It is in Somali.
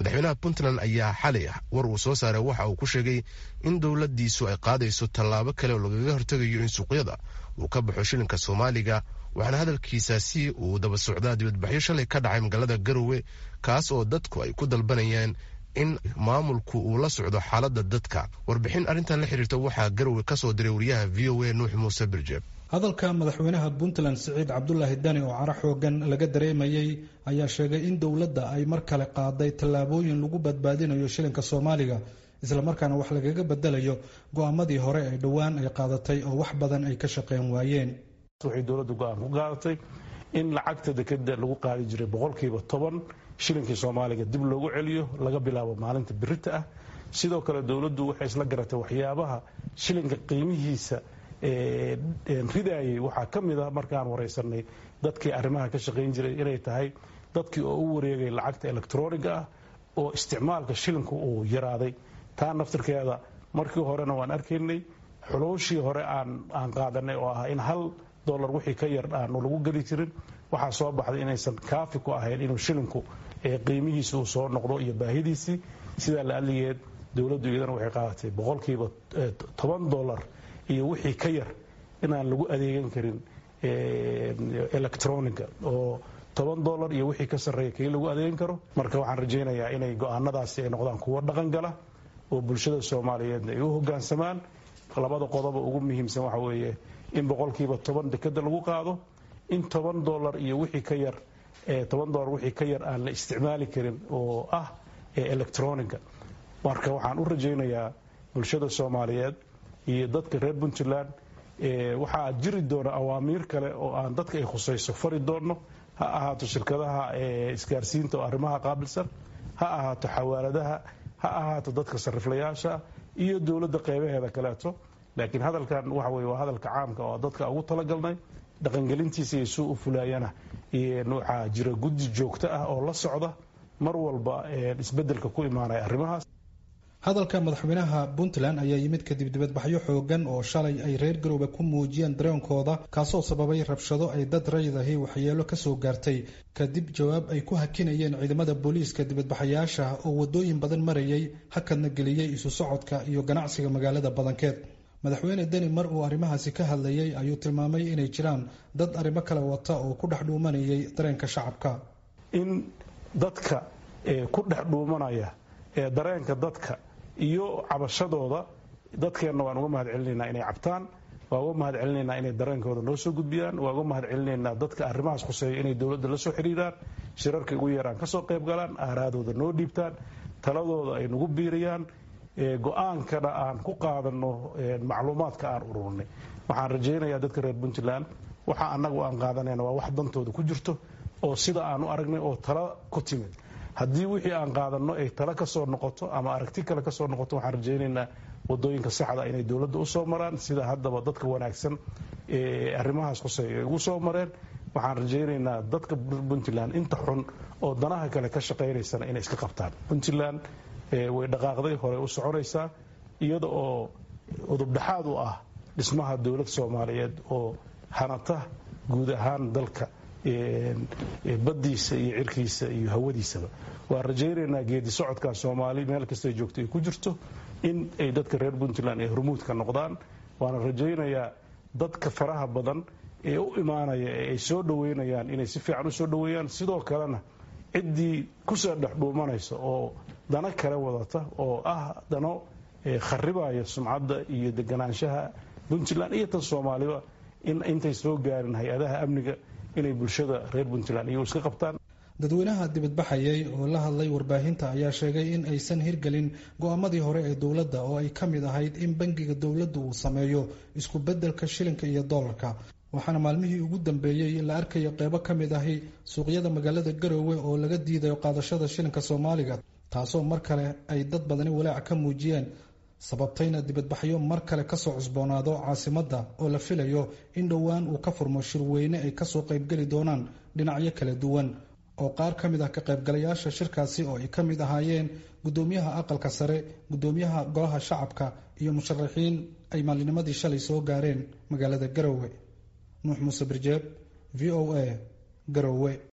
Madaxweynaha Puntland ayaa xalay war uu soo saaray waxa uu ku sheegay in dowladiisu ay qaadayso tallaabo kale oo lagaga hortegayo in suuqyada uu ka baxo shilinka Soomaaliga, waxaana hadalkiisaasi uu daba socdaa dibadbaxyo shalay ka dhacay magaalada Garowe, kaas oo dadku ay ku dalbanayaan in maamulku uu la socdo xaaladda dadka. Warbixin arrintan la xiriirta waxaa Garowe ka soo diray wariyaha VOA Nuux Muuse Birjeeb. Hadalka madaxweynaha Puntland Siciid Cabdulaahi Dani oo caro xoogan laga dareemayey ayaa sheegay in dowladda ay mar kale qaaday tallaabooyin lagu badbaadinayo shilinka Soomaaliga, islamarkaana wax lagaga bedelayo go'aamadii hore ee dhowaan ay qaadatay oo wax badan ay ka shaqeyn waayeen. Waxay dowladdu go'aan ku qaadatay in lacagta dekeda lagu qaadi jiray 10% shilinkii Soomaaliga dib loogu celiyo laga bilaabo maalinta birita ah. Sidoo kale dowladdu waxay isla garatay waxyaabaha shilinka qiimihiisa ridaayay waxaa ka mid ah, markaan waraysanay dadkii arrimaha ka shaqayn jiray, inay tahay dadkii oo u wareegay lacagta elektroniga ah oo isticmaalka shilinku uu yaraaday. Taa naftirkeeda markii horena waan arkaynay, xuluushii hore aan qaadanay oo ah in $1 wixii ka yar aanu lagu geli jirin, waxaa soo baxday inaysan kaafi ku ahayn inuu shilinku qiimihiisi uu soo noqdo iyo baahidiisii. Sidaa la adligeed dowladdu iyadana waxay qaadatay $10 iyo wixii ka yar inaan lagu adeegan karin electroniga, oo $10 iyo wixii ka sarreeya kii lagu adeegan karo. Marka waxaan rajaynayaa inay go'aanadaasi ay noqdaan kuwo dhaqan gala oo bulshada Soomaaliyeedna ay u hoggaansamaan. Labada qodoba ugu muhiimsan waxa weeye in 10% dekeda lagu qaado, in $10 iyo wixii ka yar, $10 wixii ka yar aan la isticmaali karin oo ah electroniga. Marka waxaan u rajaynayaa bulshada Soomaaliyeed iyo dadka reer Puntland, waxaa jiri doona awaamiir kale oo aan dadka ay khusayso fari doonno, ha ahaato shirkadaha isgaarsiinta oo arrimaha qaabilsan, ha ahaato xawaaladaha, ha ahaato dadka sariflayaasha iyo dowladda qeybaheeda kaleeto. Laakiin hadalkan waxa weye waa hadalka caamka oo dadka ugu talagalnay dhaqangelintiisa iyo suu u fulaayana. Waxaa jira guddi joogto ah oo la socda mar walba isbeddelka ku imaanaya arrimahaas. Hadalka madaxweynaha Puntland ayaa yimid kadib dibadbaxyo xoogan oo shalay ay reer Garoobe ku muujiyeen dareenkooda, kaasoo sababay rabshado ay dad rayid ahi waxyeelo kasoo gaartay, kadib jawaab ay ku hakinayeen ciidamada booliiska dibadbaxayaasha oo wadooyin badan marayay, hakadna geliyey isu socodka iyo ganacsiga magaalada badankeed. Madaxweyne Deni mar uu arrimahaasi ka hadlayay ayuu tilmaamay inay jiraan dad arrimo kale wata oo ku dhex dhuumanayay dareenka shacabka. In dadka ku dhex dhuumanaya ee dareenka dadka iyo cabashadooda, dadkeenna waan uga mahad celinaynaa inay cabtaan, waan uga mahad celinaynaa inay dareenkooda noo soo gudbiyaan, waan uga mahad celinaynaa dadka arrimahaas khuseeya inay dowladda la soo xiriiraan, shirarka ugu yeeraan ka soo qayb galaan, aaraadooda noo dhiibtaan, taladooda ay nagu biiriyaan, go-aankana aan ku qaadanno macluumaadka aan ururinay. Waxaan rajaynayaa dadka reer Puntland waxa annagu aan qaadanayna waa wax dantooda ku jirto oo sida aan u aragnay oo tala ku timid. Haddii wixii aan qaadanno ay tala ka soo noqoto ama aragti kale ka soo noqoto, waxaan rajaynaynaa wadooyinka saxda inay dowladda u soo maraan, sida haddaba dadka wanaagsan ee arrimahaas khuseeya ay ugu soo mareen. Waxaan rajaynaynaa dadka Puntland inta xun oo danaha kale ka shaqaynaysana inay iska qabtaan. Puntland way dhaqaaqday, horey u soconaysaa, iyada oo udubdhaxaad u ah dhismaha dowlad Soomaaliyeed oo hanata guud ahaan dalka baddiisa iyo cirkiisa iyo hawadiisaba. Waan rajaynaynaa geedi socodkaa Soomaali meel kastay joogto ay ku jirto in ay dadka reer Puntland ay hormuudka noqdaan. Waana rajaynayaa dadka faraha badan ee u imaanaya ee ay soo dhoweynayaan inay si fiican u soo dhoweeyaan. Sidoo kalena ciddii kusoo dhex dhuumanaysa oo dano kale wadata oo ah dano kharibaya sumcadda iyo deganaanshaha Puntland iyo tan Soomaaliba, in intay soo gaarin hay-adaha amniga inay bulshada reer Puntland iyagu iska qabtaan. Dadweynaha dibadbaxayay oo la hadlay warbaahinta ayaa sheegay in aysan hirgelin go'aamadii hore ee dowladda oo ay ka mid ahayd in bangiga dowladdu uu sameeyo isku beddelka shilinka iyo doolarka. Waxaana maalmihii ugu dambeeyey la arkayo qeybo ka mid ahi suuqyada magaalada Garowe oo laga diidayo qaadashada shilinka Soomaaliga, taasoo mar kale ay dad badani walaac ka muujiyeen, sababtayna dibadbaxyo mar kale kasoo cusboonaado caasimadda oo la filayo in dhowaan uu ka furmo shirweyne ay kasoo qaybgeli doonaan dhinacyo kala duwan, oo qaar ka mid ah ka qaybgalayaasha shirkaasi oo ay ka mid ahaayeen guddoomiyaha aqalka sare, guddoomiyaha golaha shacabka iyo musharaxiin ay maalinimadii shalay soo gaareen magaalada Garowe. Nuux Muuse Birjeeb, VOA, Garowe.